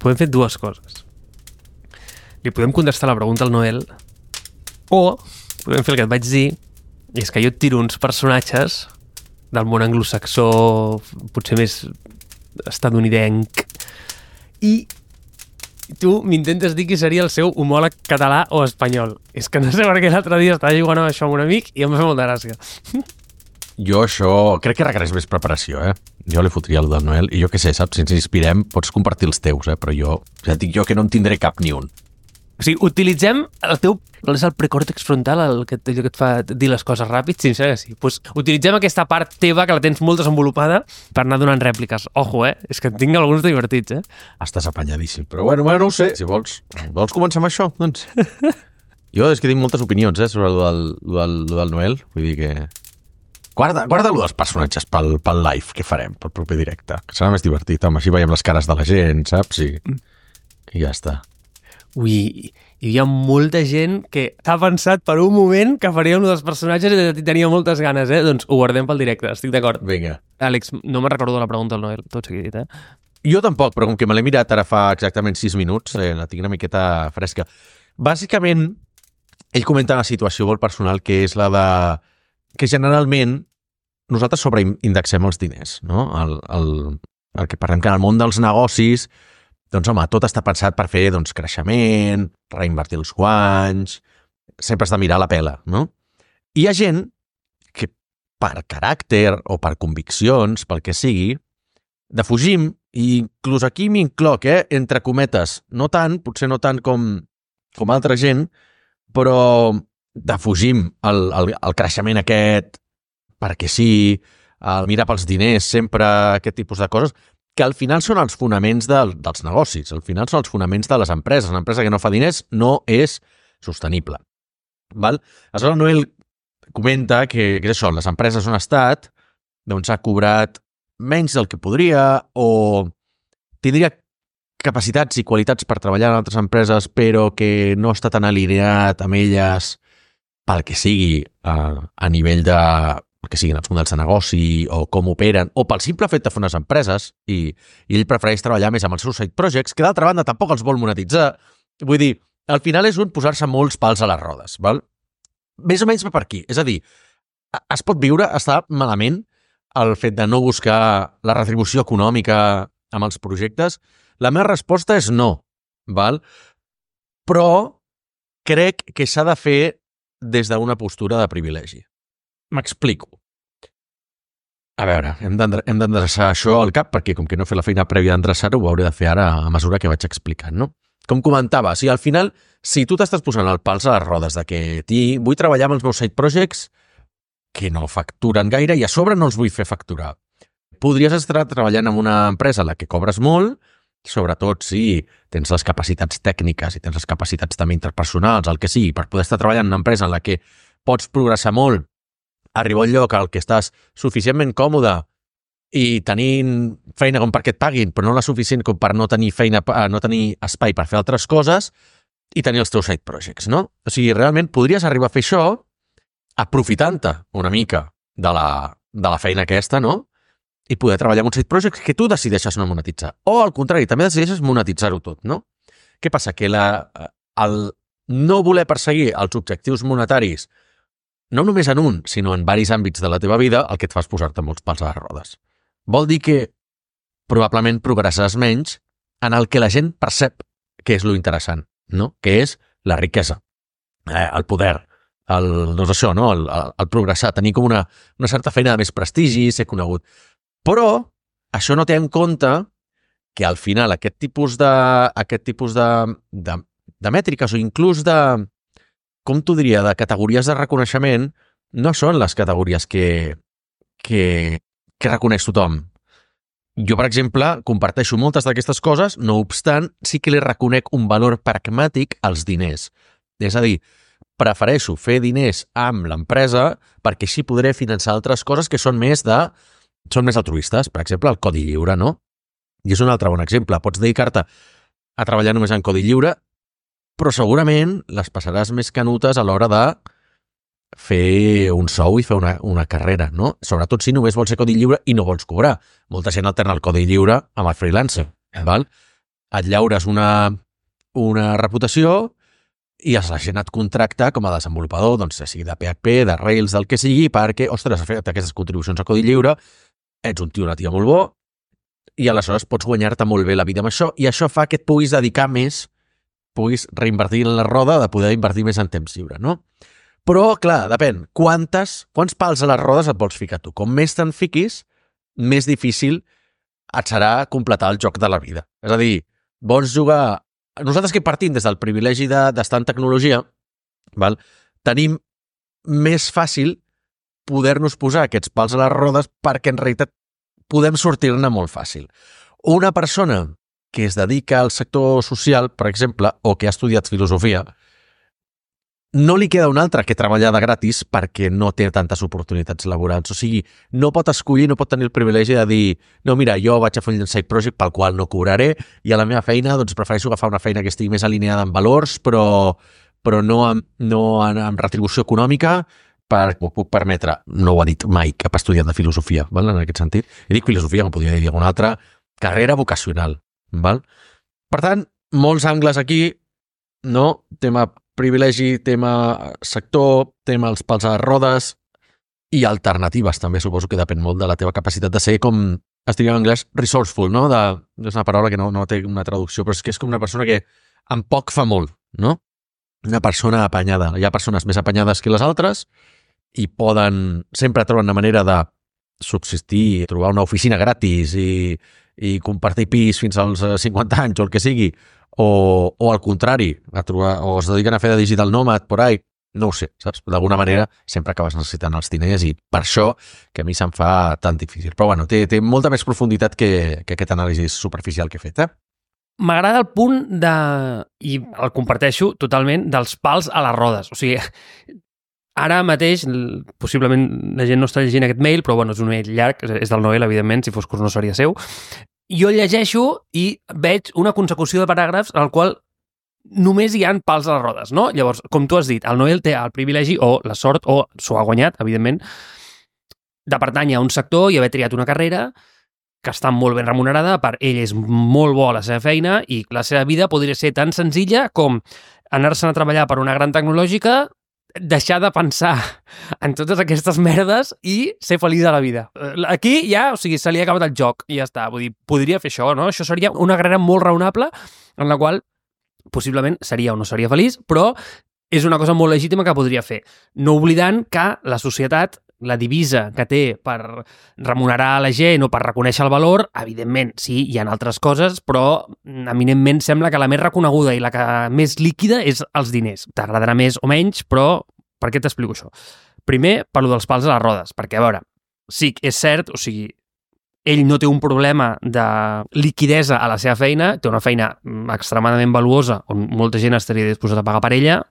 podem fer dues coses. Li podem contestar la pregunta al Noel o podem fer el que et vaig dir, i és que jo et tiro uns personatges del món anglosaxó, potser més estatunidenc, i tu m'intentes dir qui seria el seu homòleg català o espanyol. És que no sé per què l'altre dia estava jugant amb això amb un amic i em va fer molta gràcia. Jo això crec que requereix més preparació, Jo li fotria el del Noel, i jo què sé, saps? Si ens inspirem, pots compartir els teus, però jo, ja et dic jo que no en tindré cap ni un. O sigui, utilitzem el teu... És el precòrtex frontal allò que et fa dir les coses ràpid? Sí, sí. Pues utilitzem aquesta part teva, que la tens molt desenvolupada, per anar donant rèpliques. Ojo, És que en tinc alguns divertits, Estàs apanyadíssim, però bueno, no ho sé. Si vols començar amb això, doncs... Jo és que tinc moltes opinions, sobre el del Noel. Vull dir que... Guarda-lo dels personatges pel live que farem, pel proper directe, que serà més divertit. Home, així veiem les cares de la gent, saps? I ja està. Ui, hi havia molta gent que ha pensat per un moment que faríem un dels personatges i tenia moltes ganes, Doncs ho guardem pel directe, estic d'acord. Vinga. Àlex, no me'n recordo de la pregunta del Noel, tot seguit, Jo tampoc, però com que me l'he mirat ara fa exactament 6 minuts, la tinc una miqueta fresca. Bàsicament, ell comenta una situació molt personal, que és la de... que generalment nosaltres sobreindexem els diners, no? El que parlem que en el món dels negocis, doncs home, tot està pensat per fer creixement, reinvertir els guanys, sempre has de mirar la pela, no? I hi ha gent que per caràcter o per conviccions, pel que sigui, defugim, i inclús aquí m'incloc, entre cometes, no tant, potser no tant com altra gent, però defugim el creixement aquest perquè sí, el mirar pels diners, sempre aquest tipus de coses, que al final són els fonaments dels negocis, al final són els fonaments de les empreses. Una empresa que no fa diners no és sostenible. Val? Aleshores, Noel comenta que és això, les empreses on ha estat, doncs ha cobrat menys del que podria o tindria capacitats i qualitats per treballar en altres empreses, però que no està tan alineat amb elles pel que sigui a nivell de que siguin els models de negoci o com operen, o pel simple fet de fer unes empreses, i ell prefereix treballar més amb els seus side projects, que d'altra banda tampoc els vol monetitzar. Vull dir, al final és posar-se molts pals a les rodes, val? Més o menys va per aquí. És a dir, es pot viure, està malament el fet de no buscar la retribució econòmica amb els projectes? La meva resposta és no, val? Però crec que s'ha de fer des d'una postura de privilegi. M'explico. A veure, hem d'endreçar això al cap, perquè com que no he fet la feina prèvia d'endreçar-ho, ho hauré de fer ara a mesura que vaig explicant, no? Com comentava, al final, si tu t'estàs posant el pals a les rodes de que vull treballar amb els meus side projects que no facturen gaire i a sobre no els vull fer facturar, podries estar treballant en una empresa en la que cobres molt, sobretot si tens les capacitats tècniques i tens les capacitats també interpersonals, el que sigui, per poder estar treballant en una empresa en la que pots progressar molt, arribar a un lloc al que estàs suficientment còmode i tenint feina com perquè et paguin, però no la suficient com per no tenir feina, no tenir espai per fer altres coses i tenir els teus side projects, no? O sigui, realment podries arribar a fer això aprofitant-te una mica de la feina aquesta, no? I poder treballar en un side project que tu decideixes no monetitzar. O, al contrari, també decideixes monetitzar-ho tot, no? Què passa? Que el no voler perseguir els objectius monetaris no només en un, sinó en diversos àmbits de la teva vida, el que et fa és posar-te molts pals a les rodes. Vol dir que probablement progressaràs menys en el que la gent percep que és lo interessant, no? Que és la riquesa, el poder, doncs això, no? El progressar, tenir com una certa feina de més prestigi, ser conegut. Però això no té en compte que al final aquest tipus de mètriques o inclús com t'ho diria, de categories de reconeixement, no són les categories que reconeix tothom. Jo, per exemple, comparteixo moltes d'aquestes coses, no obstant, sí que li reconec un valor pragmàtic als diners. És a dir, prefereixo fer diners amb l'empresa perquè així podré finançar altres coses que són més altruistes. Per exemple, el codi lliure, no? I és un altre bon exemple. Pots dedicar-te a treballar només en codi lliure, però segurament les passaràs més canutes a l'hora de fer un sou i fer una carrera, no? Sobretot si només vols ser codi lliure i no vols cobrar. Molta gent alterna el codi lliure amb el freelancer, val? et llaures una reputació i la gent et contracta com a desenvolupador, doncs, sigui de PHP, de Rails, del que sigui, perquè, ostres, has fet aquestes contribucions a codi lliure, ets un tio, una tia molt bo, i aleshores pots guanyar-te molt bé la vida amb això, i això fa que et puguis dedicar més, puguis reinvertir en la roda de poder invertir més en temps lliure, no? Però, clar, depèn, quants pals a les rodes et vols ficar tu? Com més te'n fiquis, més difícil et serà completar el joc de la vida. És a dir, vols jugar... Nosaltres que partim des del privilegi d'estar en tecnologia, val? Tenim més fàcil poder-nos posar aquests pals a les rodes perquè en realitat podem sortir-ne molt fàcil. Una persona que es dedica al sector social, per exemple, o que ha estudiat filosofia, no li queda un altre que treballar de gratis perquè no té tantes oportunitats laborals. O sigui, no pot escollir, no pot tenir el privilegi de dir no, mira, jo vaig a fer un side project pel qual no cobraré i a la meva feina doncs prefereixo agafar una feina que estigui més alineada amb valors però no amb retribució econòmica perquè m'ho puc permetre. No ho ha dit mai cap estudiant de filosofia, val? En aquest sentit. I dic filosofia, com podria dir alguna altra carrera vocacional. Val? Per tant, molts angles aquí, no? Tema privilegi, tema sector, tema els pals a les rodes i alternatives també, suposo que depèn molt de la teva capacitat de ser com, es diria en anglès, resourceful, no? És una paraula que no té una traducció, però és que és com una persona que amb poc fa molt, no? Una persona apanyada. Hi ha persones més apanyades que les altres i sempre troben una manera de subsistir, trobar una oficina gratis i compartir pis fins als 50 anys o el que sigui, o al contrari, o es dediquen a fer de digital nomad por ahí, no ho sé, saps? D'alguna manera sempre acabes necessitant els diners i per això que a mi se'm fa tan difícil. Però bueno, té molta més profunditat que aquest anàlisi superficial que he fet, M'agrada el punt i el comparteixo totalment, dels pals a les rodes. O sigui, ara mateix, possiblement la gent no està llegint aquest mail, però bueno, és un mail llarg, és del Noel, evidentment, si fos curs no seria seu. Jo llegeixo i veig una consecució de paràgrafs en el qual només hi ha pals a les rodes, no? Llavors, com tu has dit, el Noel té el privilegi o la sort, o s'ho ha guanyat, evidentment, de pertànyer a un sector i haver triat una carrera que està molt ben remunerada, per ell és molt bo a la seva feina i la seva vida podria ser tan senzilla com anar-se'n a treballar per una gran tecnològica, deixar de pensar en totes aquestes merdes i ser feliç a la vida. Aquí ja, o sigui, se li ha acabat el joc i ja està. Vull dir, podria fer això, no? Això seria una carrera molt raonable en la qual possiblement seria o no seria feliç, però és una cosa molt legítima que podria fer. No oblidant que la societat, la divisa que té per remunerar la gent o per reconèixer el valor, evidentment, sí, hi ha altres coses, però eminentment sembla que la més reconeguda i la que més líquida és els diners. T'agradarà més o menys, però per què t'explico això? Primer, parlo dels pals a les rodes, perquè, a veure, sí, és cert, o sigui, ell no té un problema de liquidesa a la seva feina, té una feina extremadament valuosa on molta gent estaria disposada a pagar per ella,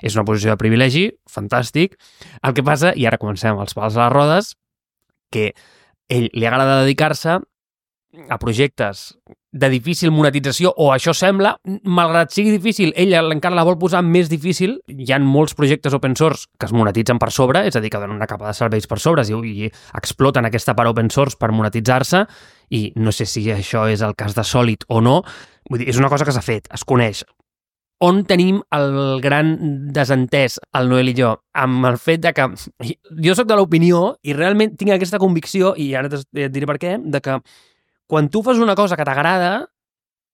és una posició de privilegi, fantàstic. El que passa, i ara comencem els pals a les rodes, que ell li agrada dedicar-se a projectes de difícil monetització, o això sembla, malgrat sigui difícil, ella encara la vol posar més difícil. Hi ha molts projectes open source que es monetitzen per sobre, és a dir, que donen una capa de serveis per sobre i exploten aquesta part open source per monetitzar-se, i no sé si això és el cas de Solid o no. Vull dir, és una cosa que s'ha fet, es coneix. On tenim el gran desentès, el Noel i jo, amb el fet de que jo sóc de l'opinió i realment tinc aquesta convicció, i ara et diré per què, de que quan tu fas una cosa que t'agrada,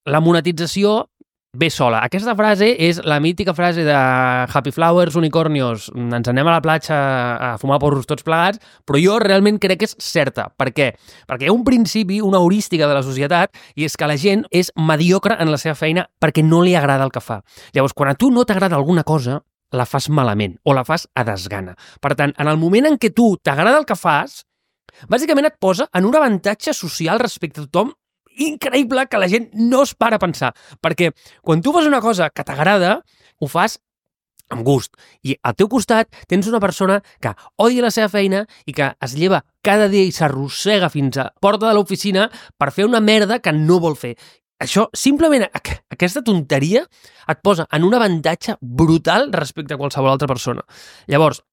la monetització ve sola. Aquesta frase és la mítica frase de Happy Flowers, unicornios, ens anem a la platja a fumar porros tots plegats, però jo realment crec que és certa. Per què? Perquè hi ha un principi, una heurística de la societat, i és que la gent és mediocre en la seva feina perquè no li agrada el que fa. Llavors, quan a tu no t'agrada alguna cosa, la fas malament o la fas a desgana. Per tant, en el moment en què tu t'agrada el que fas, bàsicament et posa en un avantatge social respecte a tothom increïble que la gent no es para a pensar. Perquè quan tu fas una cosa que t'agrada, ho fas amb gust. I al teu costat tens una persona que odia la seva feina i que es lleva cada dia i s'arrossega fins a porta de l'oficina per fer una merda que no vol fer. Això, simplement, aquesta tonteria et posa en un avantatge brutal respecte a qualsevol altra persona. Llavors,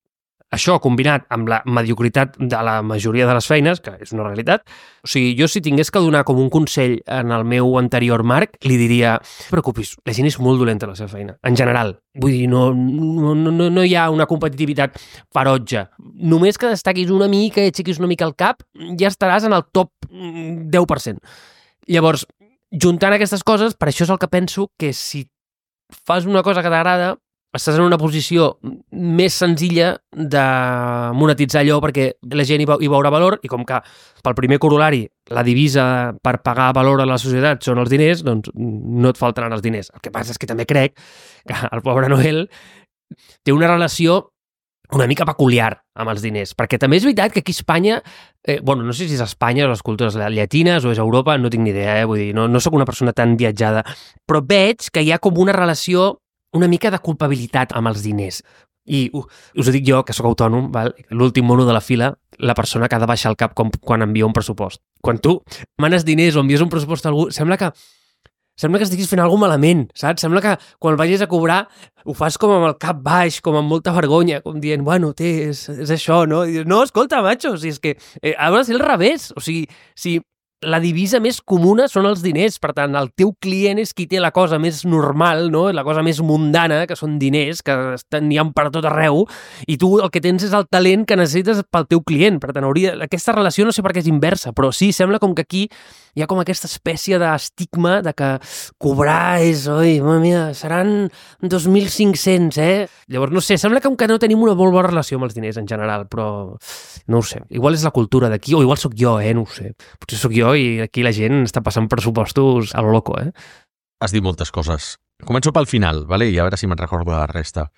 Això, combinat amb la mediocritat de la majoria de les feines, que és una realitat, o sigui, jo si tingués que donar com un consell en el meu anterior Marc, li diria, no et preocupis, la gent és molt dolenta a la seva feina, en general. Vull dir, no hi ha una competitivitat ferotge. Només que destaquis una mica i aixequis una mica el cap, ja estaràs en el top 10%. Llavors, juntant aquestes coses, per això és el que penso que si fas una cosa que t'agrada, estàs en una posició més senzilla de monetitzar allò perquè la gent hi veurà valor i com que pel primer corolari la divisa per pagar valor a la societat són els diners, doncs no et faltaran els diners. El que passa és que també crec que el pobre Noel té una relació una mica peculiar amb els diners, perquè també és veritat que aquí a Espanya, no sé si és Espanya o les cultures llatines o és Europa, no tinc ni idea, vull dir, no soc una persona tan viatjada, però veig que hi ha com una relació una mica de culpabilitat amb els diners. I us ho dic jo, que sóc autònom, l'últim mono de la fila, la persona que ha de baixar el cap quan envia un pressupost. Quan tu manes diners o envies un pressupost a algú, sembla que estiguis fent alguna cosa malament, saps? Sembla que quan el vagis a cobrar ho fas com amb el cap baix, com amb molta vergonya, com dient, bueno, és això, no? I dius, no, escolta, macho, si és que ha de ser al revés. O sigui, si la divisa més comuna són els diners, per tant, el teu client és qui té la cosa més normal, no? La cosa més mundana, que són diners, que n'hi ha per tot arreu, i tu el que tens és el talent que necessites pel teu client. Per tant, aquesta relació no sé per què és inversa, però sí, sembla com que aquí hi ha com aquesta espècie d'estigma de que cobrar és, oi, mare mia, seran 2.500, Llavors, no sé, sembla com que no tenim una molt bona relació amb els diners en general, però no ho sé. Igual és la cultura d'aquí, o igual sóc jo, no ho sé. Potser sóc jo i aquí la gent està passant pressupostos a lo loco, Has dit moltes coses. Començo pel final, vale? I a veure si me'n recordo la resta.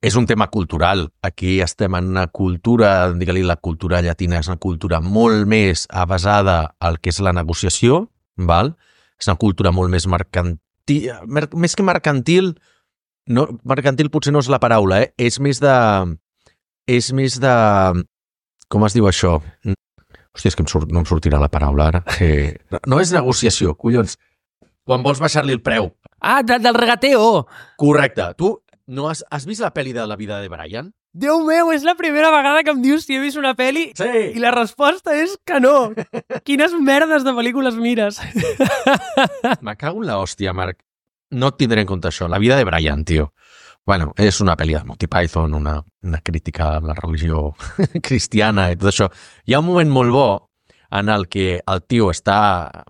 És un tema cultural. Aquí estem en una cultura, digue-li la cultura llatina, és una cultura molt més basada al que és la negociació, val? És una cultura molt més mercantil, més que mercantil, no, mercantil potser no és la paraula, és més de... Com es diu això? Hòstia, és que no em sortirà la paraula ara. No és negociació, collons. Quan vols baixar-li el preu. Ah, del regateo! Correcte. Tu no has vist la pel·li de La vida de Brian? Déu meu, és la primera vegada que em dius si he vist una pel·li i la resposta és que no. Quines merdes de pel·lícules mires? Me cago en la hòstia, Marc. No et tindré en compte això. La vida de Brian, tio. Bueno, és una pel·li de Monty Python, una crítica a la religió cristiana i tot això. Hi ha un moment molt bo en el que el tio està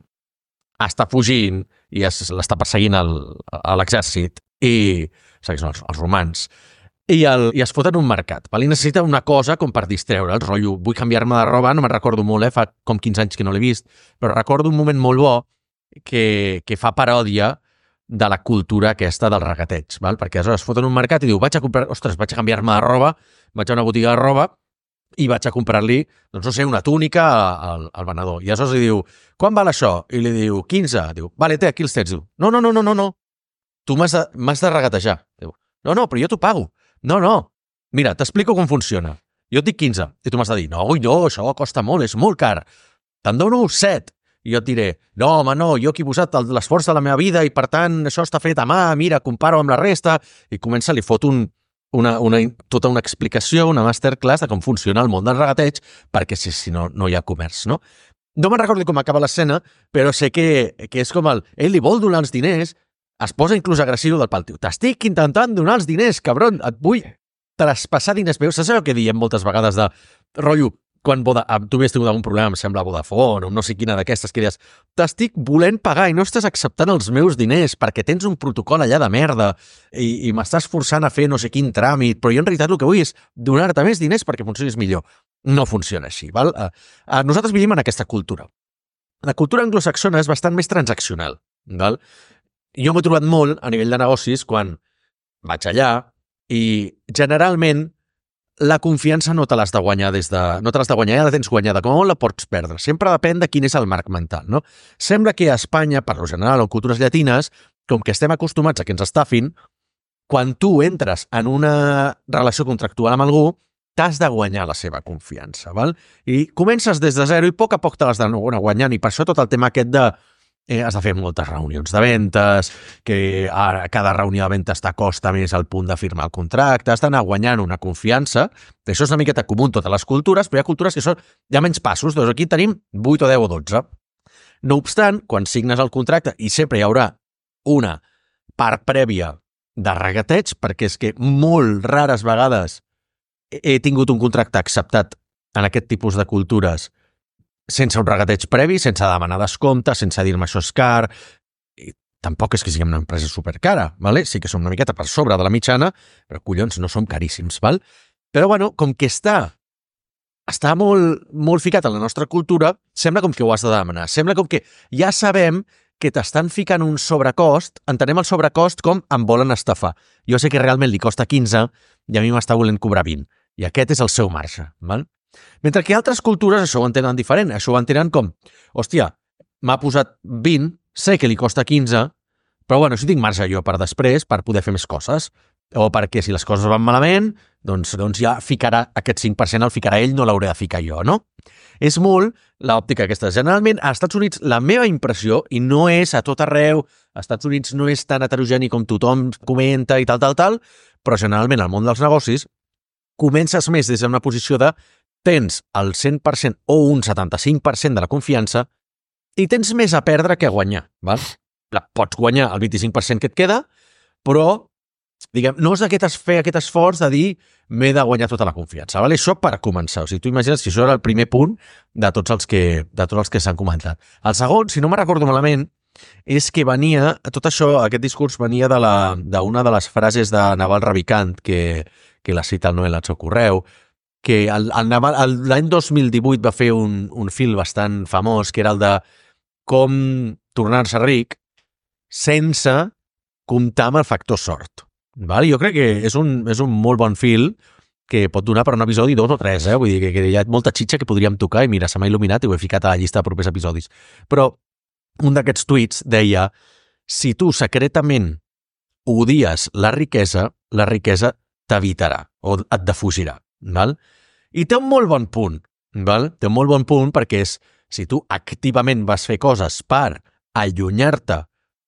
fugint i l'està perseguint a l'exèrcit i són els romans i es fot en un mercat. I necessita una cosa com per distreure el rotllo. Vull canviar-me de roba, no me'n recordo molt, fa com 15 anys que no l'he vist, però recordo un moment molt bo que fa paròdia de la cultura aquesta del regateig, val? Perquè aleshores es fot en un mercat i diu, vaig a canviar-me de roba, vaig a una botiga de roba i vaig a comprar-li, doncs no sé, una túnica al venedor. I aleshores li diu, quan val això? I li diu, 15. Diu, vale, té, aquí els tens. Diu, no. Tu m'has de regatejar. Diu, no, però jo t'ho pago. No. Mira, t'explico com funciona. Jo et dic 15 i tu m'has de dir, no, això costa molt, és molt car. Te'n dono 7. I jo et diré, no, home, no, jo aquí he posat l'esforç de la meva vida i per tant això està fet a mà, mira, comparo amb la resta. I comença, li fot tota una explicació, una masterclass de com funciona el món del regateig, perquè si no, no hi ha comerç, no? No me'n recordo com acaba l'escena, però sé que és com ell li vol donar els diners, es posa inclús agressiu del pal, tio. T'estic intentant donar els diners, cabron, et vull traspassar diners meus. Saps allò que diem moltes vegades de rotllo, quan tu havies tingut algun problema, em sembla Vodafone o no sé quina d'aquestes, que dius, t'estic volent pagar i no estàs acceptant els meus diners perquè tens un protocol allà de merda i m'estàs forçant a fer no sé quin tràmit, però jo en realitat el que vull és donar-te més diners perquè funcionis millor. No funciona així, val? Nosaltres vivim en aquesta cultura. La cultura anglosaxona és bastant més transaccional, val? Jo m'he trobat molt a nivell de negocis quan vaig allà i generalment la confiança no te l'has de guanyar no te l'has de guanyar, ja la tens guanyada, com on la pots perdre? Sempre depèn de quin és el marc mental, no? Sembla que a Espanya, per lo general, o en cultures llatines, com que estem acostumats a que ens estafin, quan tu entres en una relació contractual amb algú, t'has de guanyar la seva confiança, val? I comences des de zero i a poc te l'has d'anar guanyant, i per això tot el tema aquest de has de fer moltes reunions de ventes, que ara cada reunió de ventes t'acosta més al punt de firmar el contracte, has d'anar guanyant una confiança. Això és una miqueta comú en totes les cultures, però hi ha cultures que hi ha menys passos, doncs aquí tenim 8 o 10 o 12. No obstant, quan signes el contracte, i sempre hi haurà una part prèvia de regateig, perquè és que molt rares vegades he tingut un contracte acceptat en aquest tipus de cultures sense un regateig previ, sense demanar descompte, sense dir-me això és car. I tampoc és que siguem una empresa supercara, ¿vale? Sí que som una miqueta per sobre de la mitjana, però collons, no som caríssims, val? Però bueno, com que està molt ficat en la nostra cultura, sembla com que ho has de demanar. Sembla com que ja sabem que t'estan ficant un sobrecost, entenem el sobrecost com em volen estafar. Jo sé que realment li costa 15 i a mi m'està volent cobrar 20. I aquest és el seu marge, val? Mentre que altres cultures això ho entenen diferent. Això ho entenen com, hòstia, m'ha posat 20, sé que li costa 15, però bueno, si tinc marge jo per després, per poder fer més coses, o perquè si les coses van malament, doncs ja ficarà aquest 5%, el ficarà ell, no l'hauré de ficar jo, no? És molt l'òptica aquesta. Generalment, als Estats Units, la meva impressió, i no és a tot arreu, als Estats Units no és tan heterogeni com tothom comenta i tal, però generalment al món dels negocis comences més des d'una posició de tens el 100% o un 75% de la confiança i tens més a perdre que a guanyar. Val? Pots guanyar el 25% que et queda, però diguem, no és fer aquest esforç de dir m'he de guanyar tota la confiança. Val? Això per començar. O sigui, tu imagines que això era el primer punt de tots els que s'han comentat. El segon, si no me recordo malament, és que venia, tot això, aquest discurs venia d'una de les frases de Naval Ravikant, que la cita el Noel al seu correu, que l'any 2018 va fer un film bastant famós, que era el de com tornar-se ric sense comptar amb el factor sort. Val? Jo crec que és un molt bon film que pot donar per un episodi 2 o 3, Vull dir que hi ha molta xitxa que podríem tocar i mira, se m'ha il·luminat i ho he ficat a la llista de propers episodis. Però un d'aquests tuits deia si tu secretament odies la riquesa t'evitarà o et defugirà. Val? I té un molt bon punt. Val? Té un molt bon punt perquè és si tu activament vas fer coses per allunyar-te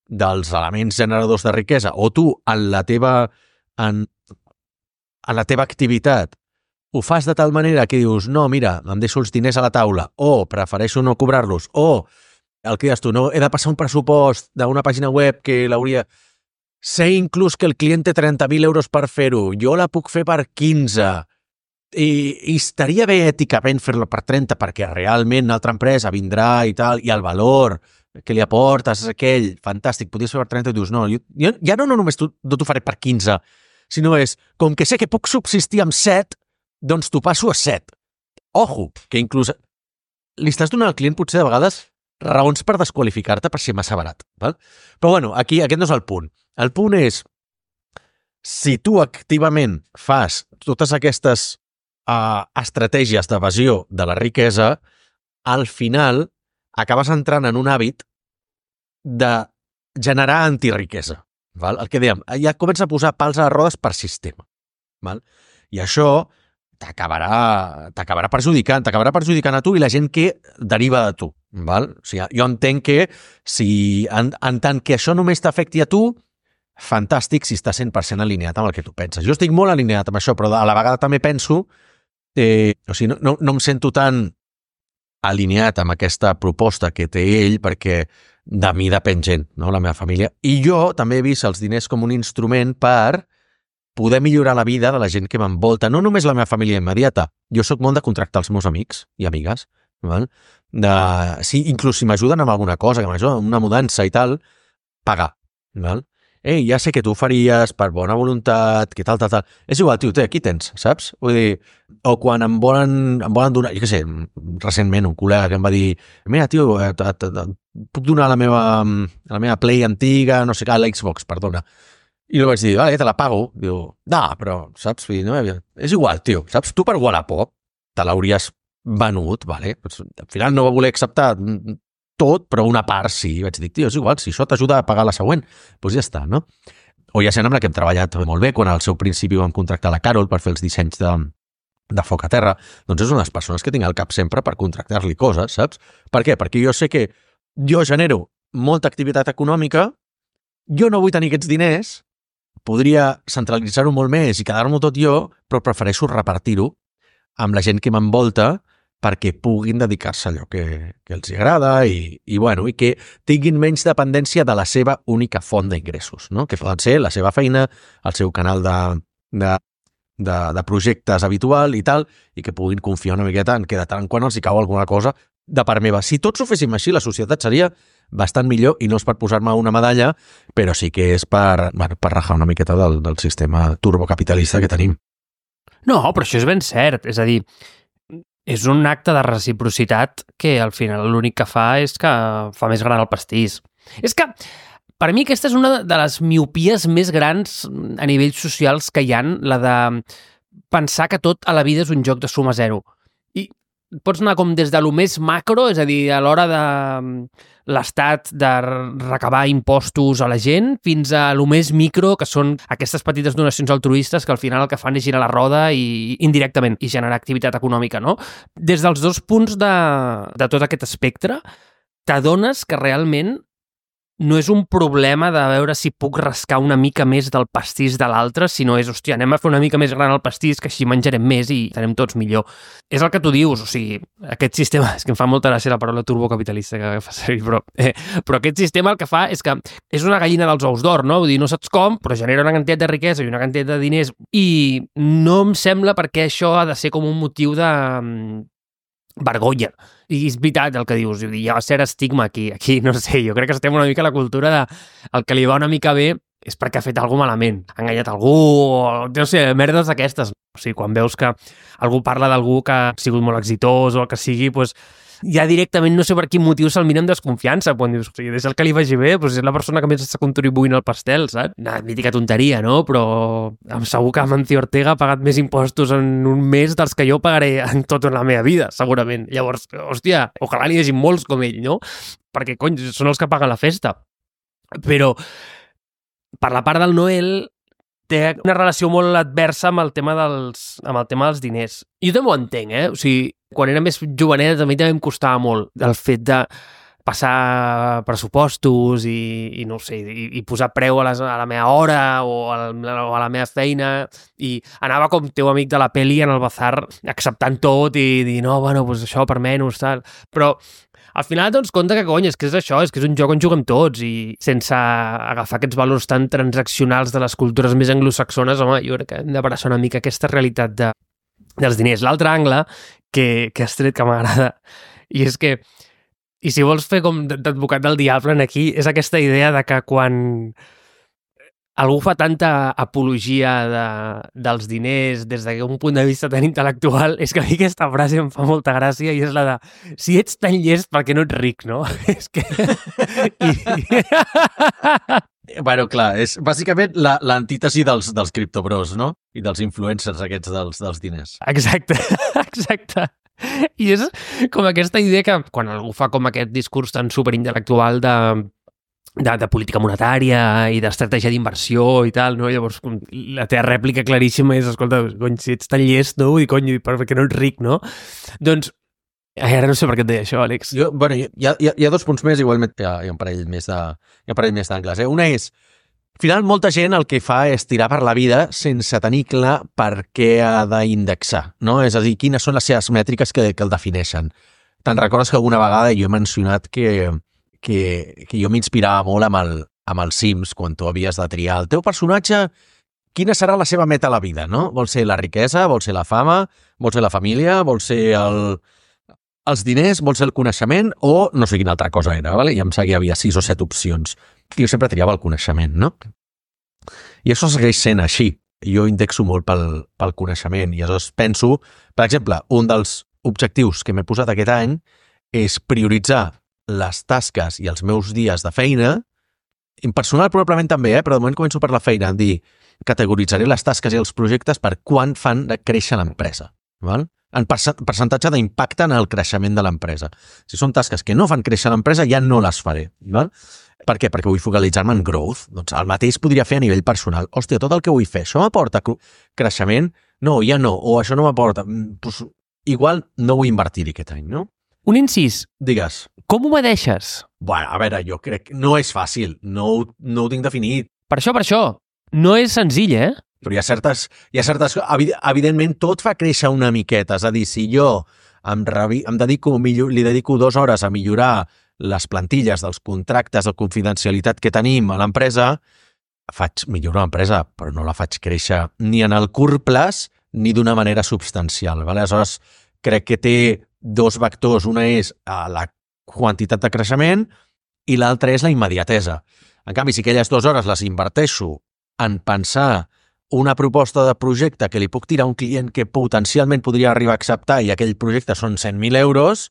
dels elements generadors de riquesa o tu en la teva activitat ho fas de tal manera que dius no, mira, em deixo els diners a la taula o prefereixo no cobrar-los o el que dius tu, no, he de passar un pressupost d'una pàgina web que l'hauria... Sé inclús que el client té 30.000 euros per fer-ho, jo la puc fer per 15 i estaria bé èticament fer-lo per 30 perquè realment una altra empresa vindrà i tal, i el valor que li aportes és aquell, fantàstic, podries fer per 30 i dius, no, jo ja no només no t'ho faré per 15, sinó és, com que sé que puc subsistir amb 7, doncs t'ho passo a 7. Ojo, que inclús li estàs donant al client potser de vegades raons per desqualificar-te per ser massa barat. Val? Però bueno, aquí aquest no és el punt. El punt és, si tu activament fas totes aquestes estratègies d'evasió de la riquesa, al final acabes entrant en un hàbit de generar antiriquesa. Val? El que dèiem, ja comença a posar pals a les rodes per sistema. Val? I això t'acabarà perjudicant a tu i la gent que deriva de tu. Val? O sigui, jo entenc que si en tant que això només t'afecti a tu, fantàstic si estàs 100% alineat amb el que tu penses. Jo estic molt alineat amb això, però a la vegada també penso o sigui, no em sento tan alineat amb aquesta proposta que té ell perquè de mi depèn gent, no? La meva família. I jo també he vist els diners com un instrument per poder millorar la vida de la gent que m'envolta, no només la meva família immediata. Jo sóc molt de contractar els meus amics i amigues, val? Inclús si m'ajuden amb alguna cosa, que m'ajuden amb una mudança i tal, pagar. Val? Ei, ja sé que tu ho faries per bona voluntat, que tal. És igual, tio, aquí tens, saps? Vull dir, o quan em volen donar, jo què sé, recentment un col·lega que em va dir mira, tio, puc donar la meva Play antiga, no sé què, la Xbox, perdona. I li vaig dir, vale, te la pago. Diu, no, però, saps? No, és igual, tio, saps? Tu per Wallapop te l'hauries venut, vale? Al final no va voler acceptar tot, però una part sí. Vaig dir, tio, és igual, si això t'ajuda a pagar la següent, doncs ja està, no? O hi ha gent amb la que hem treballat molt bé, quan al seu principi vam contractar la Carol per fer els dissenys de foc a terra, doncs és una de les persones que tinc al cap sempre per contractar-li coses, saps? Per què? Perquè jo sé que jo genero molta activitat econòmica, jo no vull tenir aquests diners, podria centralitzar-ho molt més i quedar-m'ho tot jo, però prefereixo repartir-ho amb la gent que m'envolta perquè puguin dedicar-se a allò que els agrada i que tinguin menys dependència de la seva única font d'ingressos, no? Que poden ser la seva feina, el seu canal de projectes habitual i tal, i que puguin confiar una miqueta en que de tant en quant els hi cau alguna cosa de part meva. Si tots ho féssim així, la societat seria bastant millor, i no és per posar-me una medalla, però sí que és per rajar una miqueta del sistema turbocapitalista que tenim. No, però això és ben cert. És a dir, és un acte de reciprocitat que al final l'únic que fa és que fa més gran el pastís. És que, per mi, aquesta és una de les miopies més grans a nivells socials que hi ha, la de pensar que tot a la vida és un joc de suma zero. I pots anar com des de lo més macro, és a dir, a l'hora de l'Estat de recabar impostos a la gent, fins a lo més micro, que són aquestes petites donacions altruistes que al final el que fan és girar la roda i indirectament i generar activitat econòmica, no? Des dels dos punts de tot aquest espectre, t'adones que realment no és un problema de veure si puc rascar una mica més del pastís de l'altre, sinó és, hòstia, anem a fer una mica més gran el pastís, que així menjarem més i estarem tots millor. És el que tu dius, o sigui, aquest sistema, és que em fa molta gràcia la paraula turbocapitalista que fa servir, però aquest sistema el que fa és que és una gallina dels ous d'or, no? Vull dir, no saps com, però genera una quantitat de riquesa i una quantitat de diners, i no em sembla perquè això ha de ser com un motiu de vergonya. I és veritat el que dius, hi ha cert estigma aquí, no sé, jo crec que estem una mica a la cultura de el que li va una mica bé és perquè ha fet alguna cosa malament, ha enganyat algú, o no sé, merdes d'aquestes. O sigui, quan veus que algú parla d'algú que ha sigut molt exitós o el que sigui, doncs ja directament no sé per quin motiu se'l mira amb desconfiança, quan dius, o sigui, des el que li vagi bé, doncs és la persona que més està contribuint al pastel, saps? Una mítica tonteria, no? Però segur que Amancio Ortega ha pagat més impostos en un mes dels que jo pagaré en tota la meva vida, segurament. Llavors, hòstia, ojalà n'hi hagi molts com ell, no? Perquè, cony, són els que paguen la festa. Però, per la part del Noel, té una relació molt adversa amb el tema dels diners. Jo també ho entenc, O sigui, quan era més jovenet, a mi també em costava molt el fet de passar pressupostos i no ho sé, i posar preu a la meva hora o a la meva feina, i anava com teu amic de la peli en el bazar acceptant tot i dir, no, bueno, doncs això per menys, tal. Però al final et dones compte que, cony, és que és això, és que és un joc on juguem tots, i sense agafar aquests valors tan transaccionals de les cultures més anglosaxones, home, jo crec que hem d'abraçar una mica aquesta realitat dels diners. L'altre angle que has tret que m'agrada, i és que, i si vols fer com d'advocat del diable aquí, és aquesta idea de que quan algú fa tanta apologia dels diners des d'un punt de vista tan intel·lectual, és que a mi aquesta frase em fa molta gràcia, i és la de, si ets tan llest, per què no ets ric, no? És que... Bueno, clar, és bàsicament l'antítesi dels criptobros, no? I dels influencers aquests dels diners. Exacte, exacte. I és com aquesta idea que quan algú fa com aquest discurs tan superintel·lectual de política monetària i d'estratègia d'inversió i tal, no? Llavors la teva rèplica claríssima és, escolta, cony, si ets tan llest, no? Vull dir, cony, perquè no ets ric, no? Doncs, ara no sé per què et deia això, Àlex. Hi ha dos punts més, igualment hi ha un parell més d'angles. Una és, al final, molta gent el que fa és tirar per la vida sense tenir clar per què ha d'indexar, no? És a dir, quines són les seves mètriques que el defineixen. Te'n recordes que alguna vegada jo he mencionat que jo m'inspirava molt amb els Sims, quan tu havies de triar el teu personatge, quina serà la seva meta a la vida, no? Vol ser la riquesa, vol ser la fama, vol ser la família, vol ser els diners, vol ser el coneixement, o no sé quina altra cosa era, ¿vale? I em sembla que hi havia 6 o 7 opcions. I jo sempre triava el coneixement, no? I això segueix sent així. Jo indexo molt pel coneixement, i aleshores penso, per exemple, un dels objectius que m'he posat aquest any és prioritzar les tasques i els meus dies de feina, en personal probablement també, però de moment començo per la feina, en dir, categoritzaré les tasques i els projectes per quan fan de créixer l'empresa, val? En percentatge d'impacte en el creixement de l'empresa. Si són tasques que no fan créixer l'empresa, ja no les faré, val? Per què? Perquè vull focalitzar-me en growth. Doncs el mateix podria fer a nivell personal. Hòstia, tot el que vull fer, això m'aporta creixement? No, ja no. O això no m'aporta. Pues, igual no vull invertir-hi aquest any, no? Un incís, Digues. com ho medeixes? Bueno, a veure, jo crec que no és fàcil, no ho tinc definit, Per això. No és senzill, però hi ha certes... Evidentment, tot fa créixer una miqueta. És a dir, si jo li dedico 2 hores a millorar les plantilles dels contractes de confidencialitat que tenim a l'empresa, milloro l'empresa, però no la faig créixer ni en el curt plaç ni d'una manera substancial. Vale? Aleshores, crec que té 2 vectors. Una és la quantitat de creixement i l'altra és la immediatesa. En canvi, si aquelles 2 hores les inverteixo en pensar una proposta de projecte que li puc tirar a un client que potencialment podria arribar a acceptar i aquell projecte són 100.000 euros,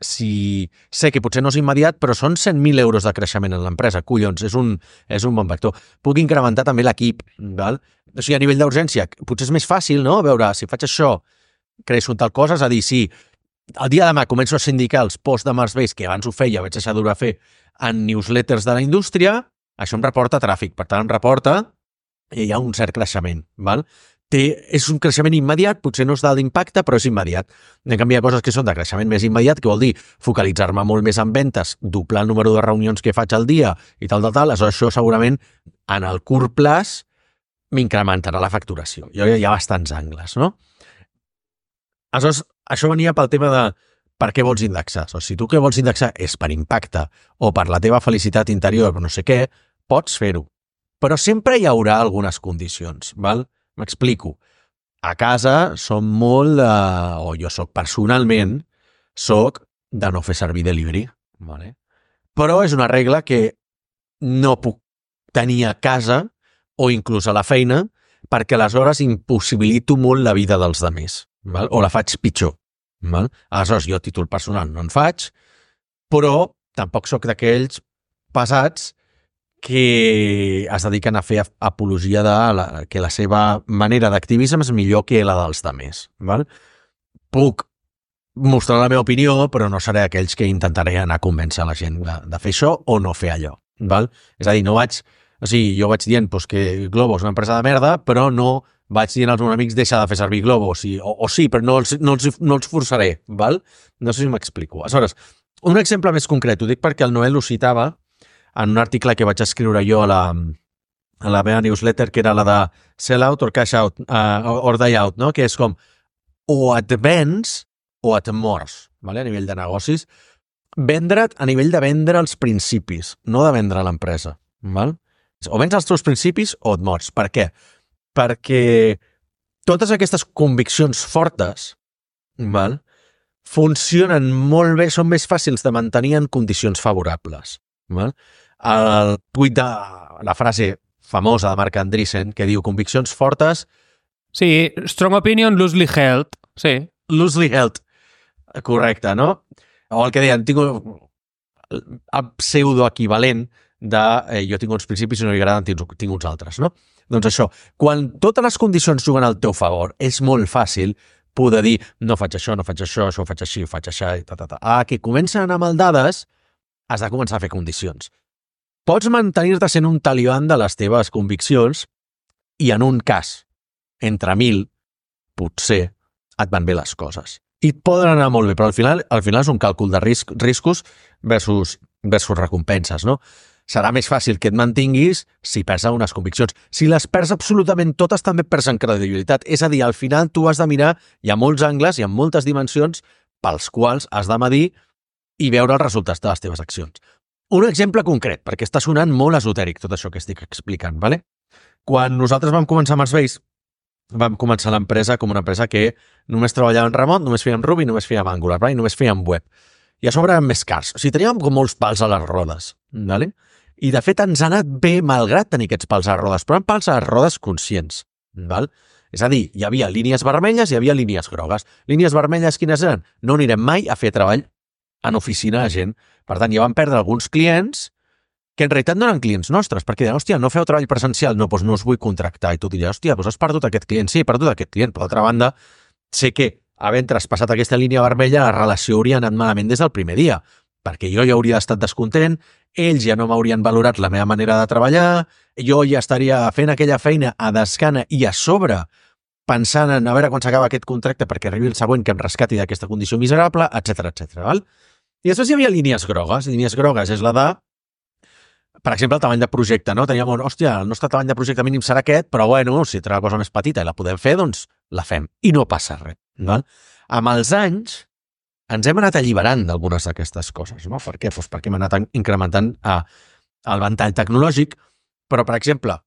si sé que potser no és immediat, però són 100.000 euros de creixement en l'empresa. Collons, és un bon vector. Puc incrementar també l'equip, val? O sigui, a nivell d'urgència, potser és més fàcil, no?, veure, si faig això, creixo en tal cosa, és a dir, si el dia de demà començo a sindicar els posts de Marsbase, que abans ho feia, vaig deixar d'ho fer en newsletters de la indústria, això em reporta tràfic, per tant em reporta i hi ha un cert creixement, val? És un creixement immediat, potser no és d'alt impacte, però és immediat. En canvi, hi ha coses que són de creixement més immediat, que vol dir focalitzar-me molt més en ventes, doblar el número de reunions que faig al dia i tal. Aleshores, això segurament en el curt plaç m'incrementarà la facturació. Hi ha bastants angles, no? Aleshores, això venia pel tema de per què vols indexar. O sigui, si tu què vols indexar és per impacte o per la teva felicitat interior, no sé què, pots fer-ho. Però sempre hi haurà algunes condicions, val? M'explico. A casa som molt o jo soc personalment, de no fer servir delivery, vale? Però és una regla que no puc tenir a casa o inclús a la feina perquè aleshores impossibilito molt la vida dels altres, val? O la faig pitjor. Val? Aleshores, jo a títol personal no en faig, però tampoc sóc d'aquells pesats que es dediquen a fer apologia de que la seva manera d'activisme és millor que la dels altres. Val? Puc mostrar la meva opinió, però no seré aquells que intentaré anar a convèncer la gent de fer això o no fer allò. Val? És a dir, jo vaig dient que Glovo és una empresa de merda, però no vaig dient als meus amics deixa de fer servir Glovo, o sí, però no els forçaré. Val? No sé si m'explico. Aleshores, un exemple més concret, ho dic perquè el Noel ho citava en un article que vaig escriure jo a la meva newsletter, que era la de sell out or cash out, or die out, no? Que és com o et vens o et mors, vale? A nivell de negocis. Vendre't a nivell de vendre els principis, no de vendre l'empresa. Val? O vens els teus principis o et mors. Per què? Perquè totes aquestes conviccions fortes, val? Funcionen molt bé, són més fàcils de mantenir en condicions favorables. Val? El tuit de la frase famosa de Marc Andreessen que diu conviccions fortes... Sí, strong opinion, loosely held. Sí. Loosely held. Correcte, no? O el que deien, tinc el pseudoequivalent de jo tinc uns principis i no li agraden, tinc uns altres, no? Doncs això, quan totes les condicions juguen al teu favor, és molt fàcil poder dir no faig això, no faig això, això ho faig així, ho faig això, i que comencen a anar maldades, has de començar a fer condicions. Pots mantenir-te sent un talibán de les teves conviccions i en un cas, entre 1.000, potser et van bé les coses. I et poden anar molt bé, però al final és un càlcul de riscos versus recompenses, no? Serà més fàcil que et mantinguis si perds unes conviccions. Si les perds absolutament totes, també perds en credibilitat. És a dir, al final tu has de mirar, hi ha molts angles, hi ha moltes dimensions pels quals has de medir i veure els resultats de les teves accions. Un exemple concret, perquè està sonant molt esotèric tot això que estic explicant, ¿vale? Quan nosaltres vam començar Marsbase, vam començar l'empresa com una empresa que només treballava en remot, només fèiem Ruby, només fèiem Angular, ¿vale? Només fèiem web. I a sobre eren més cars. O sigui, teníem com molts pals a les rodes, ¿vale? I de fet ens ha anat bé malgrat tenir aquests pals a les rodes, però eren pals a les rodes conscients, ¿val? És a dir, hi havia línies vermelles i hi havia línies grogues. Línies vermelles quines eren? No anirem mai a fer treball en oficina a gent. Per tant, ja vam perdre alguns clients que en realitat no eren clients nostres, perquè deien, hòstia, no feu treball presencial, no, doncs no us vull contractar. I tu diries, hòstia, doncs has perdut aquest client. Sí, he perdut aquest client. Per l'altra banda, sé que havent traspassat aquesta línia vermella, la relació hauria anat malament des del primer dia, perquè jo ja hauria estat descontent, ells ja no m'haurien valorat la meva manera de treballar, jo ja estaria fent aquella feina a descana i a sobre pensant en a veure quan s'acaba aquest contracte perquè arribi el següent que em rescati d'aquesta condició miserable, etc. Val? I després hi havia línies grogues. Línies grogues és la de, per exemple, el tamany de projecte, no? Teníem hòstia, el nostre tamany de projecte mínim serà aquest, però bueno, si té una cosa més petita i la podem fer, doncs la fem. I no passa res. Val? Amb els anys ens hem anat alliberant d'algunes d'aquestes coses, no? Per què? Doncs perquè hem anat incrementant el ventall tecnològic, però, per exemple,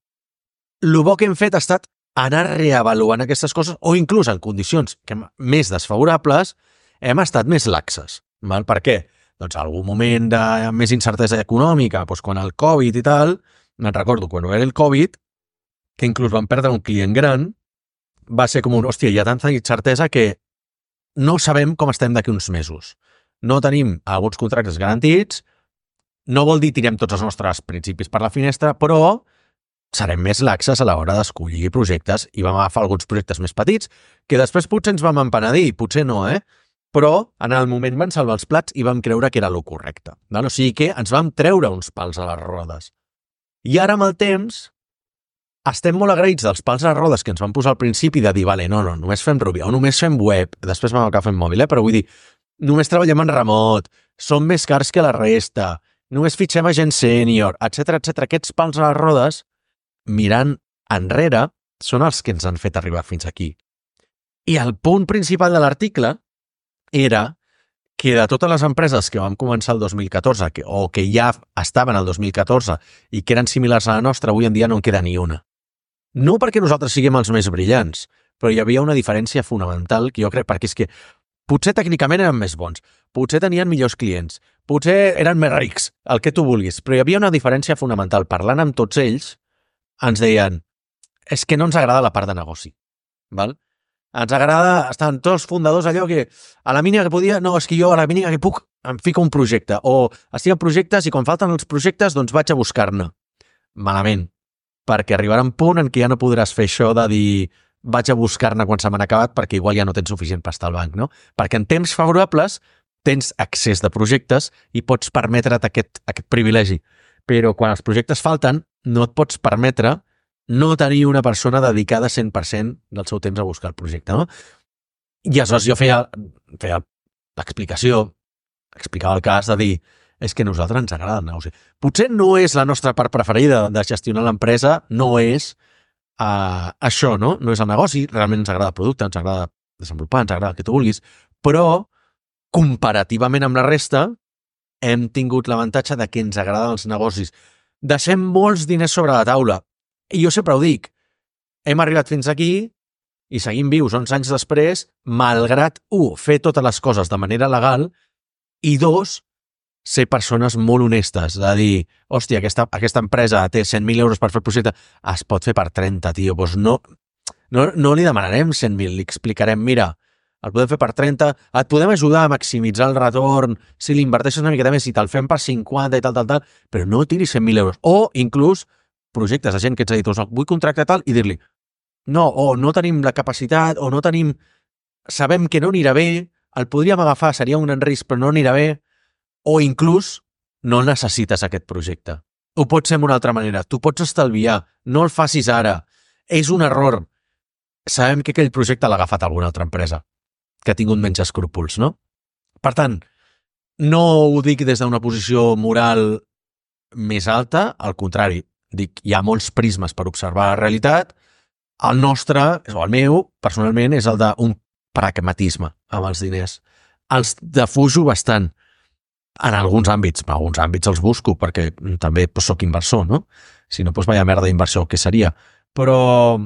el bo que hem fet ha estat anar reavaluant aquestes coses o inclús en condicions més desfavorables hem estat més laxes. Val? Per què? Doncs en algun moment de més incertesa econòmica, doncs quan el Covid i tal, me'n recordo, quan era el Covid, que inclús vam perdre un client gran, va ser com hòstia, hi ha tanta incertesa que no sabem com estem d'aquí uns mesos. No tenim alguns contractes garantits, no vol dir tirem tots els nostres principis per la finestra, però serem més laxes a l'hora d'escollir projectes i vam agafar alguns projectes més petits que després potser ens vam empenedir, potser no, però en el moment van salvar els plats i vam creure que era el correcte. O sigui que ens vam treure uns pals a les rodes. I ara, amb el temps, estem molt agraïts dels pals a les rodes que ens van posar al principi de dir, vale, no, només fem Ruby, o només fem web, després vam acabar fent mòbil, però vull dir, només treballem en remot, som més cars que la resta, només fitxem a gent sènior, etc. Aquests pals a les rodes, mirant enrere, són els que ens han fet arribar fins aquí. I el punt principal de l'article era que de totes les empreses que vam començar el 2014 o que ja estaven el 2014 i que eren similars a la nostra, avui en dia no en queda ni una. No perquè nosaltres siguem els més brillants, però hi havia una diferència fonamental que jo crec, perquè és que potser tècnicament eren més bons, potser tenien millors clients, potser eren més rics, el que tu vulguis, però hi havia una diferència fonamental. Parlant amb tots ells, ens deien, és que no ens agrada la part de negoci. Val? Ens agrada, estan tots els fundadors allò que a la mínima que podia, no, és que jo a la mínima que puc em fico un projecte, o estic en projectes i quan falten els projectes doncs vaig a buscar-ne. Malament, perquè arribarà un punt en què ja no podràs fer això de dir vaig a buscar-ne quan se m'han acabat perquè igual ja no tens suficient pasta al banc, no? Perquè en temps favorables tens accés de projectes i pots permetre't aquest privilegi. Però quan els projectes falten, no et pots permetre no tenir una persona dedicada 100% del seu temps a buscar el projecte, no? I aleshores jo feia l'explicació, explicava el cas de dir és que a nosaltres ens agrada el negoci. Potser no és la nostra part preferida de gestionar l'empresa, no és això, no? No és el negoci, realment ens agrada el producte, ens agrada desenvolupar, ens agrada el que tu vulguis, però comparativament amb la resta hem tingut l'avantatge de que ens agraden els negocis. Deixem molts diners sobre la taula. I jo sempre ho dic, hem arribat fins aquí i seguim vius 11 anys després, malgrat, fer totes les coses de manera legal i 2, ser persones molt honestes, de dir, hòstia, aquesta empresa té 100.000 euros per fer el projecte, es pot fer per 30, tio, doncs no li demanarem 100.000, li explicarem, mira, el podem fer per 30, et podem ajudar a maximitzar el retorn, si l'inverteixes una miqueta més, si te'l fem per 50 i tal, però no tiris 100.000 euros. O, inclús, projectes de gent que ets a dir, vull contractar tal, i dir-li, no, o no tenim la capacitat, o no tenim, sabem que no anirà bé, el podríem agafar, seria un gran risc, però no anirà bé, o inclús no necessites aquest projecte. Ho pots fer d'una altra manera, tu pots estalviar, no el facis ara, és un error. Sabem que aquell projecte l'ha agafat alguna altra empresa, que ha tingut menys escrúpols, no? Per tant, no ho dic des d'una posició moral més alta, al contrari, dic, hi ha molts prismes per observar la realitat, el nostre, o el meu, personalment, és el d'un pragmatisme amb els diners. Els defujo bastant en alguns àmbits els busco perquè també soc inversor, no? Si no, doncs vaya merda d'inversió, què seria? Però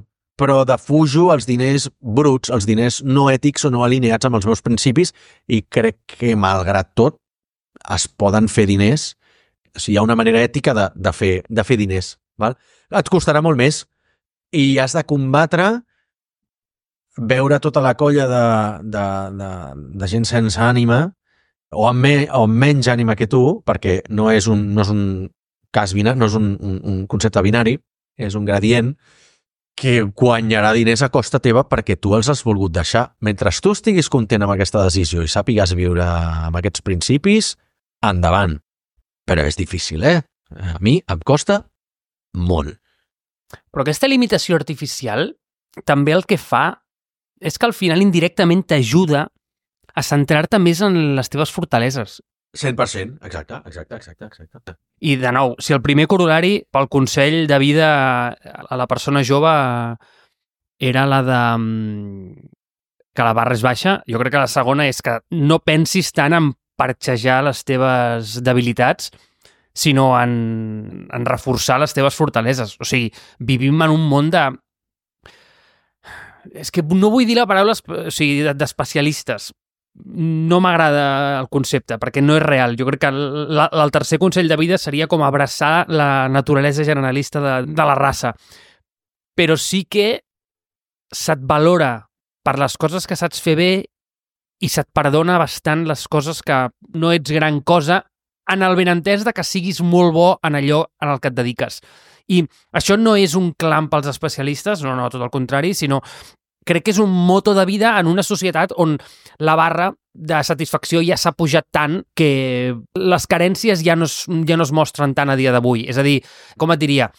defujo els diners bruts, els diners no ètics o no alineats amb els meus principis i crec que, malgrat tot, es poden fer diners. O sigui, hi ha una manera ètica de fer diners. Val? Et costarà molt més i has de combatre veure tota la colla de gent sense ànima o amb menys ànima que tu, perquè no és un cas binari, no és un concepte binari, és un gradient que guanyarà diners a costa teva perquè tu els has volgut deixar. Mentre tu estiguis content amb aquesta decisió i sàpigues viure amb aquests principis, endavant. Però és difícil, A mi em costa molt. Però aquesta limitació artificial també el que fa és que al final indirectament t'ajuda a centrar-te més en les teves fortaleses. 100%, exacte. I, de nou, si el primer corol·lari pel consell de vida a la persona jove era la de que la barra és baixa, jo crec que la segona és que no pensis tant en parxejar les teves debilitats, sinó en reforçar les teves fortaleses. O sigui, vivim en un món de... És que no vull dir la paraula d'especialistes. No m'agrada el concepte, perquè no és real. Jo crec que el tercer consell de vida seria com abraçar la naturalesa generalista de la raça. Però sí que se't valora per les coses que saps fer bé i se't perdona bastant les coses que no ets gran cosa, en el benentès de que siguis molt bo en allò en el que et dediques. I això no és un clam pels especialistes, no, tot el contrari, sinó crec que és un moto de vida en una societat on la barra de satisfacció ja s'ha pujat tant que les carències ja no es mostren tant a dia d'avui. És a dir, com et diria,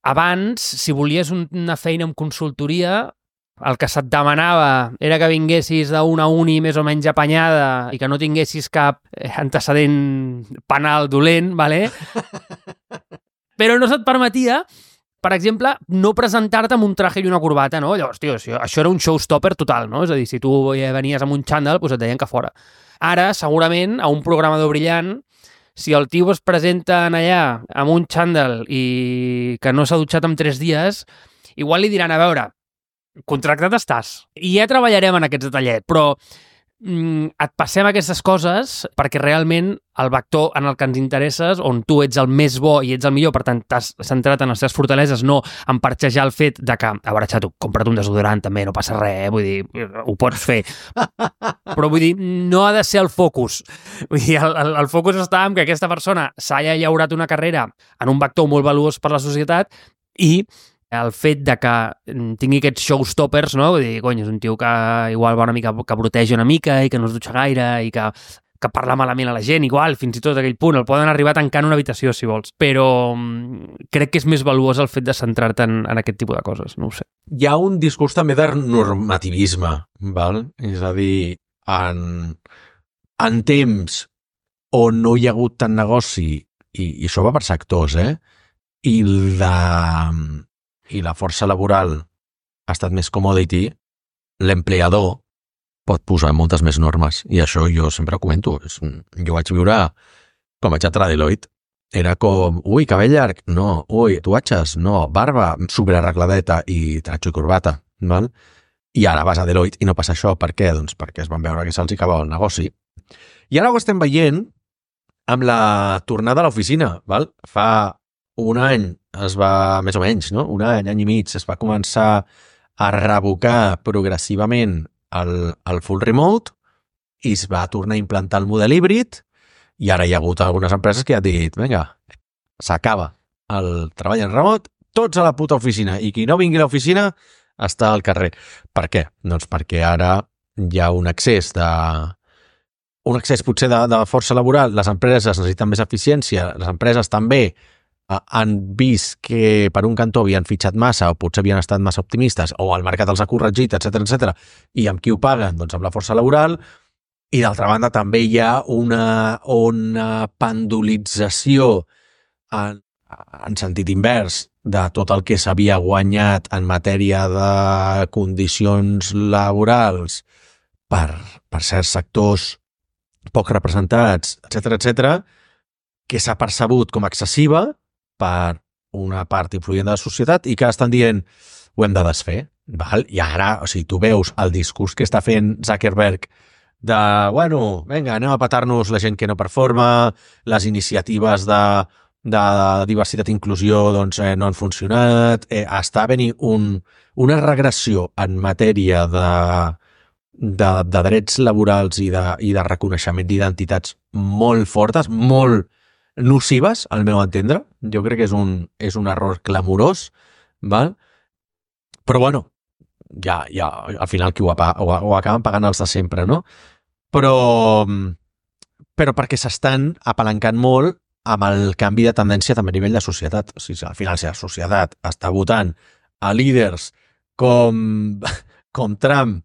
abans, si volies una feina en consultoria, el que se't demanava era que vinguessis d'una uni més o menys apanyada i que no tinguessis cap antecedent penal dolent, ¿vale? Però no se't permetia, per exemple, no presentar-te amb un traje i una corbata, no? Llavors, tio, això era un showstopper total, no? És a dir, si tu venies amb un xandall, doncs et deien que fora. Ara, segurament, a un programador brillant, si el tio es presenta allà amb un xandall i que no s'ha dutxat en 3 dies, igual li diran, a veure, contractat estàs. I ja treballarem en aquests detallets, però et passem aquestes coses perquè realment el vector en el que ens interesses, on tu ets el més bo i ets el millor, per tant t'has centrat en les teves fortaleses, no en parxejar el fet de que, a veure, xato, compra't un desodorant també, no passa res, vull dir, ho pots fer. Però vull dir, no ha de ser el focus. Vull dir, el focus està en que aquesta persona s'hagi llaurat una carrera en un vector molt valuós per la societat i el fet de que tingui aquests showstoppers, no? Vull dir, cony, és un tio que igual va una mica, que broteja una mica i que no es dutxa gaire i que parla malament a la gent, igual, fins i tot a aquell punt. El poden arribar a tancar en una habitació, si vols. Però crec que és més valuós el fet de centrar-te en aquest tipus de coses, no ho sé. Hi ha un discurs també de normativisme, val? És a dir, en temps on no hi ha hagut tant negoci, i això va per sectors, i la força laboral ha estat més commodity, l'empleador pot posar moltes més normes. I això jo sempre ho comento. Jo vaig viure, quan vaig entrar a Deloitte, era com, ui, cabell llarg, no, ui, tatuatges, no, barba, superarregladeta i tratxo i corbata, val? I ara vas a Deloitte i no passa això. Per què? Doncs perquè es van veure que se'ls acabava el negoci. I ara ho estem veient amb la tornada a l'oficina, val? Fa un any es va, més o menys, no? Un any i mig, es va començar a revocar progressivament el full remote i es va tornar a implantar el model híbrid i ara hi ha hagut algunes empreses que han dit, vinga, s'acaba el treball en remot, tots a la puta oficina i qui no vingui a l'oficina està al carrer. Per què? Doncs perquè ara hi ha un excés potser de força laboral, les empreses necessiten més eficiència, les empreses també han vist que per un cantó havien fitxat massa o potser havien estat massa optimistes o el mercat els ha corregit, etc. I amb qui ho paguen? Doncs amb la força laboral. I d'altra banda també hi ha una pendulització en sentit invers de tot el que s'havia guanyat en matèria de condicions laborals per certs sectors poc representats, etc., que s'ha percebut com excessiva per una part influent de la societat i que estan dient ho hem de desfer. Val? I ara, o sigui, tu veus el discurs que està fent Zuckerberg de, bueno, vinga, anem a petar-nos la gent que no performa, les iniciatives de diversitat i inclusió doncs, no han funcionat, està venint una regressió en matèria de drets laborals i de reconeixement d'identitats molt fortes, molt nocives, al meu entendre. Jo crec que és un error clamorós, val? Però bueno, ja al final qui ho acaben pagant els de sempre, no? Però perquè s'estan apalancant molt amb el canvi de tendència també a nivell de societat. O sigui, al final, si la societat està votant a líders com com Trump,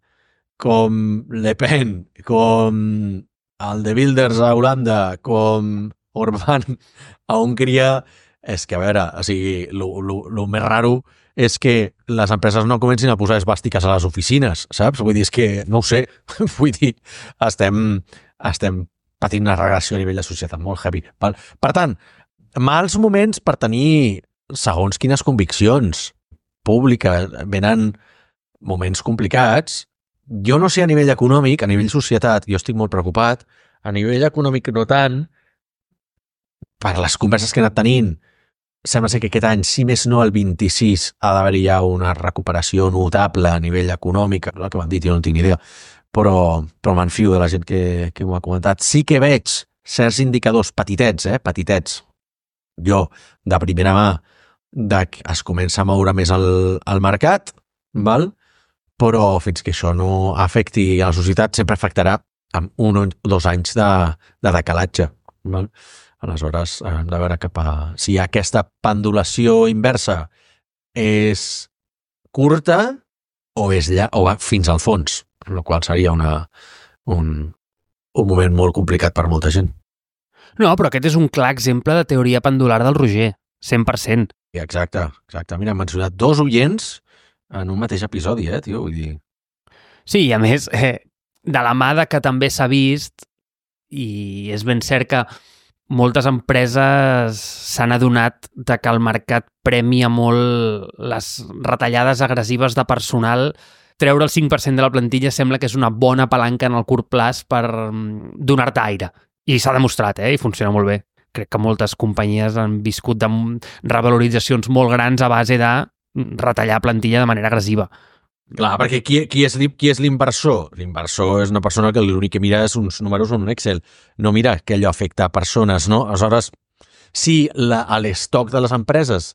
com Le Pen, com el de Wilders a Holanda, com Orbán a Hongria, és que, a veure, o sigui, lo més raro és que les empreses no comencin a posar esbàstiques a les oficines, saps? Vull dir, és que, no ho sé, vull dir, estem patint una regressió a nivell de societat molt heavy. Per tant, mals moments per tenir segons quines conviccions públiques, venen moments complicats. Jo no sé a nivell econòmic, a nivell societat, jo estic molt preocupat, a nivell econòmic no tant, per les converses que he anat tenint, sembla ser que aquest any, si més no el 26, ha d'haver-hi ja una recuperació notable a nivell econòmic, el que m'han dit, jo no tinc ni idea, però m'enfio de la gent que m'ho ha comentat. Sí que veig certs indicadors petitets, petitets, jo, de primera mà, que es comença a moure més el mercat, val? Però fins que això no afecti a la societat, sempre afectarà amb 1 o 2 anys de decalatge, val? Aleshores, hem de veure si aquesta pendulació inversa és curta o va fins al fons, el qual seria un moment molt complicat per molta gent. No, però aquest és un clar exemple de teoria pendular del Roger, 100%. Exacte. Mira, hem mencionat 2 oients en un mateix episodi, tio, vull dir... Sí, i a més, de la mà de que també s'ha vist, i és ben cert que moltes empreses s'han adonat de que el mercat premia molt les retallades agressives de personal. Treure el 5% de la plantilla sembla que és una bona palanca en el curt plaç per donar-te aire. I s'ha demostrat, i funciona molt bé. Crec que moltes companyies han viscut de revaloritzacions molt grans a base de retallar plantilla de manera agressiva. Clar, perquè qui és l'inversor? L'inversor és una persona que l'únic que mira és uns números en un Excel. No mira que allò afecta a persones, no? Aleshores, si l'estoc de les empreses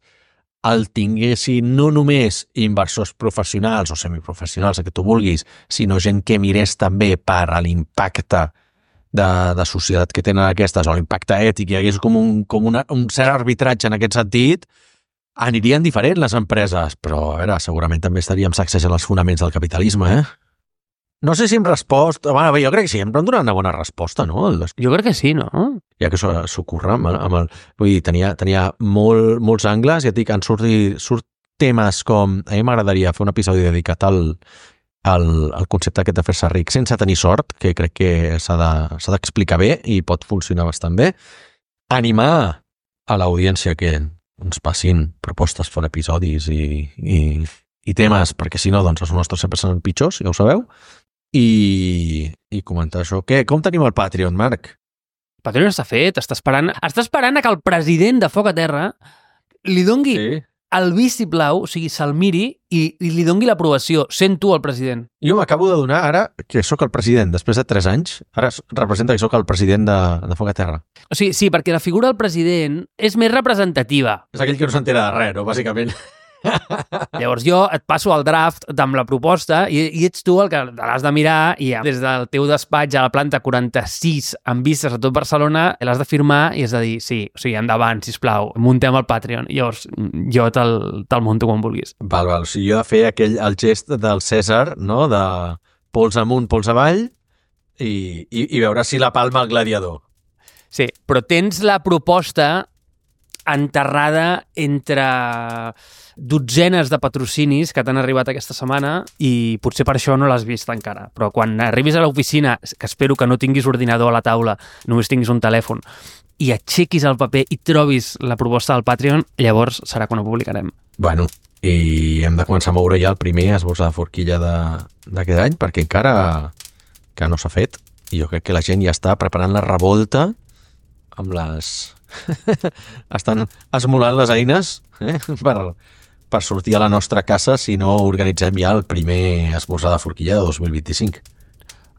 el tinguessin no només inversors professionals o semiprofessionals, el que tu vulguis, sinó gent que mirés també per a l'impacte de societat que tenen aquestes, o l'impacte ètic, hi hagués com un cert arbitratge en aquest sentit, anirien diferent les empreses, però a veure, segurament també estaríem sacsejant els fonaments del capitalisme, No sé si hem respost... Bueno, jo crec que sí, hem donat una bona resposta, no? Jo crec que sí, no? Ja que s'ocorre amb el... Vull dir, tenia molts angles, ja et dic, surt temes com... A mi m'agradaria fer un episodi dedicat al concepte aquest de fer-se ric sense tenir sort, que crec que s'ha d'explicar bé i pot funcionar bastant bé. Animar a l'audiència que ens passin propostes per episodis i temes, perquè si no, doncs els nostres sempre seran pitjors, ja ho sabeu. I comentar això. Com tenim el Patreon, Marc? El Patreon està fet, està esperant a que el president de Foc a Terra li dongui el vistiplau, o sigui, se'l miri i li dongui l'aprovació, sent tu el president. Jo m'acabo de donar ara que sóc el president, després de 3 anys, ara representa que sóc el president de Foc a Terra. O sigui, sí, perquè la figura del president és més representativa. És aquell que no s'entera de res, no? Bàsicament. Llavors jo et passo el draft amb la proposta i ets tu el que l'has de mirar i des del teu despatx a la planta 46 amb vistes a tot Barcelona l'has de firmar i has de dir sí, o sigui, endavant, sisplau, muntem el Patreon. Llavors jo te'l monto quan vulguis. Val, o sigui, jo de fer el gest del Cèsar, no?, de pols amunt, pols avall i veure si la palma el gladiador. Sí, però tens la proposta enterrada entre dotzenes de patrocinis que t'han arribat aquesta setmana i potser per això no l'has vist encara. Però quan arribis a l'oficina, que espero que no tinguis ordinador a la taula, només tinguis un telèfon, i aixequis el paper i trobis la proposta del Patreon, llavors serà quan ho publicarem. Bueno, i hem de començar a moure ja el primer esborzar de forquilla d'aquest any, perquè encara que no s'ha fet, i jo crec que la gent ja està preparant la revolta amb les... estan esmolant les eines per sortir a la nostra casa si no organitzem ja el primer esmorzar de forquilla de 2025.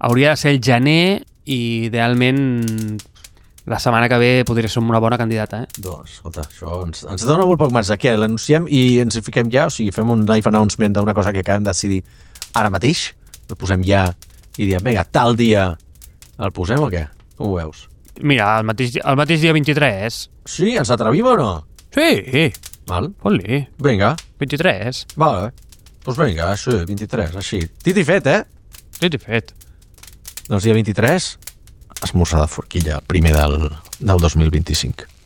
Hauria de ser el gener i idealment la setmana que ve podria ser una bona candidata. Doncs, escolta, això ens dona molt poc marge. Què, l'anunciem i ens hi fiquem ja? O sigui, fem un live announcement d'una cosa que acabem de decidir ara mateix? El posem ja i diem, vinga, tal dia el posem o què? Com ho veus? Mira, el mateix dia 23. Sí? Ens atrevim o no? Sí. Val. Fot-li. Vinga. 23. Vale. Doncs vinga, això, 23, així. Dit i fet, Sí, fet. Doncs dia 23, esmorzar de forquilla, primer del 2025.